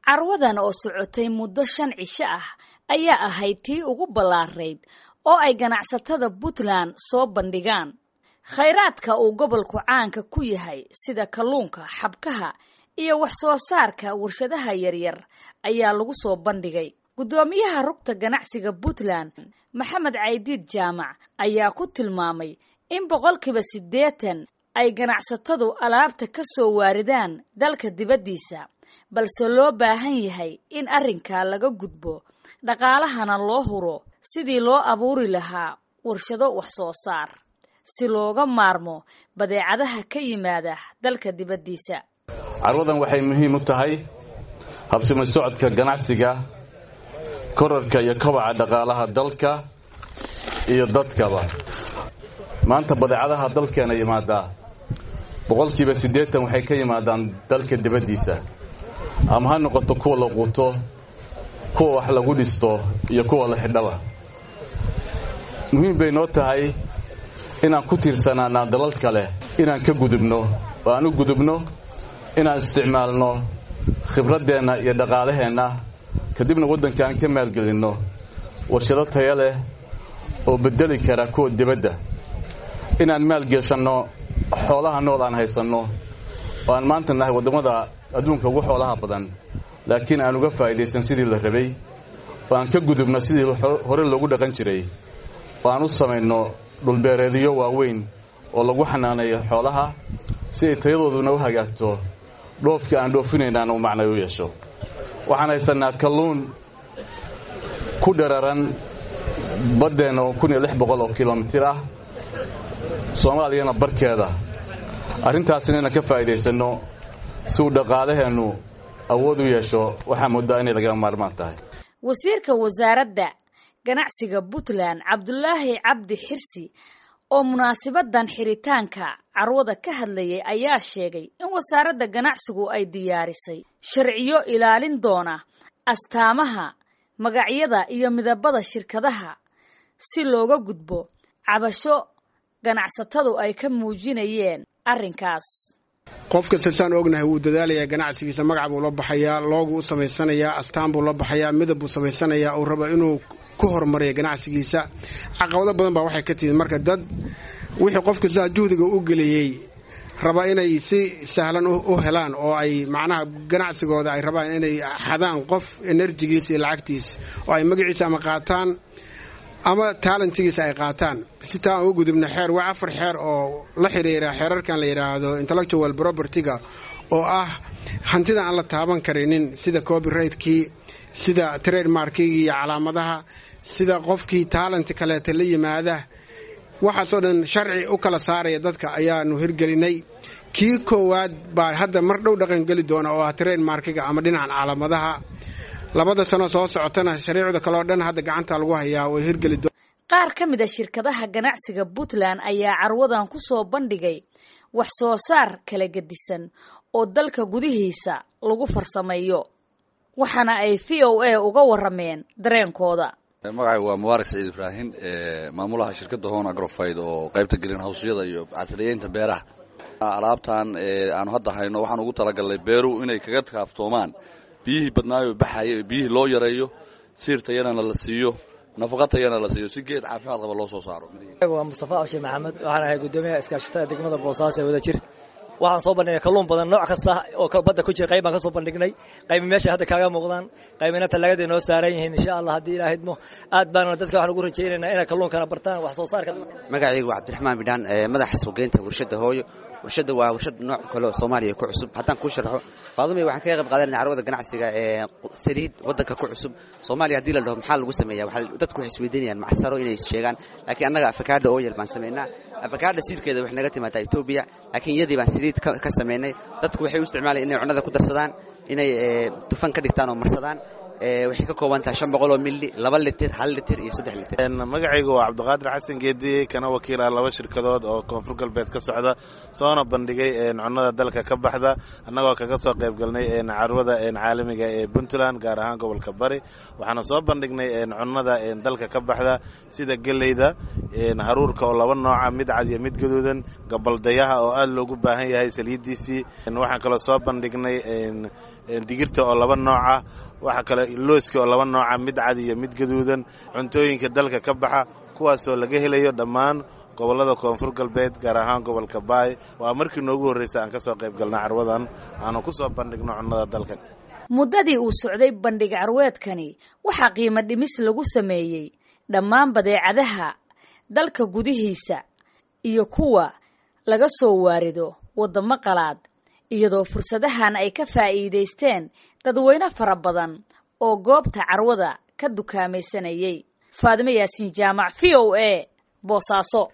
Carwadan oo socotay muddo 5 cisho ah ayaa ahayd tii ugu ballaarayd oo ay ganacsatada Puntland soo bandhigaan khayraadka uu gobolku caanka ku yahay, sida kalluunka, xabkaha iyo wax soo saarka warshadaha yaryar ayaa lagu soo bandhigay. Guddoomiyaha rugta ganacsiga Puntland, Maxamed Caydiid Jaamac, ayaa ku tilmaamay in 80% ay ganacsatadu alaabta ka soo waaridaan dalka dibaddiisa, balse loo baahan yahay in arrinkaa laga gudbo, dhaqaalahana loo huro sidii loo abuuri lahaa warshado wax soo saar si looga maarmo badeecadaha ka yimaada dalka dibaddiisa. Carwadan waxay muhiim u tahay habsami socodka ganacsiga, korarka iyo kobaca dhaqaalaha dalka iyo dadkaba. Maanta badeecadaha dalkeena yimaadaa 80% waxay ka yimaadaan dalka dibaddiisa, ama ha noqoto kuwa la quuto, kuwa wax lagu dhisto iyo kuwa la xidhaba. Muhiim bay noo tahay inaan ku tiirsanaanaa dalal kale inaan ka gudubno oo aan u gudubno inaan isticmaalno khibraddeenna iyo dhaqaalaheenna, kadibna waddanka aan ka maalgelinno warshado taya leh oo beddeli kara kuwa dibadda, inaan maalgeshanno xoolaha nool aan haysanno oo aan maanta nahay waddamada adduunka ugu xoolaha badan, laakiin aan uga faa'idaysan sidii la rabay, oo aan ka gudubno sidii hore loogu dhaqan jiray oo aan u samayno dhulbeereedyo waaweyn oo lagu xanaaneeyo xoolaha si ay tayadooduna u hagaagto, dhoofka aan dhoofinaynaana u macnay u yeesho. Waxaan haysannaa kalluun ku dhararan baddeenna oo 1600 oo kilomitir ah, Soomaaliyana barkeeda. Arrintaasina inaan ka faa'iidaysanno si uu dhaqaalaheennu awood u yeesho waxaa mooddaa inay lagama maarmaan tahay. Wasiirka wasaaradda ganacsiga Puntland, Cabdulaahi Cabdi Xirsi, oo munaasibadan xiritaanka carwada ka hadlayay, ayaa sheegay in wasaaradda ganacsigu ay diyaarisay sharciyo ilaalin doona astaamaha, magacyada iyo midabada shirkadaha si looga gudbo cabasho ganacsatadu ay ka muujinayeen arrinkaas. Qof kasta, saan ognahay, wuu dadaalayaa. Ganacsigiisa magac buu la baxayaa, logo u samaysanayaa, astaan buu la baxayaa, midab buu samaysanayaa uu raba inuu ku horumariyo ganacsigiisa. Caqabado badan baa waxay ka timid marka dad wixii qofka sidaa juhdiga u geliyey raba inay si sahlan u helaan oo ay macnaha ganacsigooda ay rabaan inay xadaan qof energy-giisa iyo lacagtiisa oo ay magaciisa ama qaataan ama talent-igiisa ay qaataan. Si taa aan u gudubna, xeer waa afar xeer oo la xidhiira xeerarkan la yidhaahdo intellectual property-ga, oo ah hantida aan la taaban karinin, sida copyright-kii, sida trademark-igi iyo calaamadaha, sida qofkii talent kaleeta la yimaada, waxaasoo dhan sharci u kala saaraya dadka ayaanu hirgelinay. Kii koowaad baa hadda mar dhow dhaqangeli doona, oo ah trademark-iga ama dhinacan calaamadaha. 2da sano soo socotana shariicda kaleo dhan hadda gacanta lagu hayaa, way hirgeli. Qaar ka mid a shirkadaha ganacsiga Puntland ayaa carwadan ku soo bandhigay wax soo saar kala gedisan oo dalka gudihiisa lagu farsameeyo, waxaana ay VOA uga warrameen dareenkooda. Magacay waa Mubaarak Saciid Ibraahin, maamulaha shirkadda Hon Agrofide oo qaybta greenhouse-yada iyo casriyeynta beeraha. Alaabtan aanu hadda hayno waxaan ugu talagalnay beeruhu inay kaga kaaftoomaan biyihii badnaayo baxaya, biyihii loo yareeyo, siir tayana la siiyo, nafaqa tayana la siiyo, si geed caafimaad qaba loo soo saaro. Waa Mustafa Abshir Maxamed, waxaan ahay guddoomiyaha iskaashatada degmada Boosaaso ee Wadajir. Waxaan soo bandhignay kalluun badan, nooc kasta oo badda ku jira. Qayb baan ka soo bandhignay, qayb meesha hadda kaaga muuqdaan, qaybina talaagada noo saaran yihiin. Insha Allah, haddii Ilaah idmo, aad baana dadka waxaan ugu rajaynaynaa inay kalluunkana bartaan wax soo saarka. Magacaygu waa Cabdiraxmaan Bidhaan, madaxa suuqgeynta warshadda Hooyo. Warshadda waa warshad nooc kale oo Soomaaliya ku cusub. Haddaan kuu sharxo, Faadumay, waxaan kaga qayb qaadanayna carwada ganacsiga ee saliid waddanka ku cusub Soomaaliya. Haddii la dhaho maxaa lagu sameeyaa, waxaa dadku waxay isweydiinayaan macsaro inay sheegaan, laakiin annaga avocado oil baan samaynaa. Avocado seed-keeda waxay naga timaadaa Etoobiya, laakiin iyadii baan saliid ka samaynay. Dadku waxay u isticmaalayaan inay cunnada ku darsadaan, inay dufan ka dhigtaan oo marsadaan. Waxay ka kooban tahay 500 oo milli, 2 litir, 1 litir iyo 3 litir. Magacaygu waa Cabdiqaadir Xasan Geediye, kana wakiila laba shirkadood oo Koonfur Galbeed ka socda, soona bandhigay cunnada dalka ka baxda, annagoo kaga soo qayb galnay carwada caalamiga ee Puntland, gaar ahaan gobolka Bari. Waxaana soo bandhignay cunnada dalka ka baxda, sida geleyda, haruurka oo laba nooca, mid cad iyo mid gaduudan, gabaldayaha oo aad loogu baahan yahay saliiddiisii. Waxaan kaloo soo bandhignay Digirta oo laba nooc ah, waxaa kale looska oo laba nooca, mid cad iyo mid gaduudan, cuntooyinka dalka ka baxa, kuwaasoo laga helayo dhammaan gobollada Koonfur Galbeed, gaar ahaan gobolka Baay. Waa markii noogu horraysa aan ka soo qayb galna carwadan, aanu ku soo bandhigno cunnada dalka. Muddadii uu socday bandhig carweedkani waxaa qiimo dhimis lagu sameeyey dhammaan badeecadaha dalka gudihiisa iyo kuwa laga soo waarido waddamo qalaad, iyadoo fursadahan ay ka faa'iidaysteen dadweyne fara badan oo goobta carwada ka dukaamaysanayay. Faadimo Yaasiin Jaamac, v o a, Boosaaso.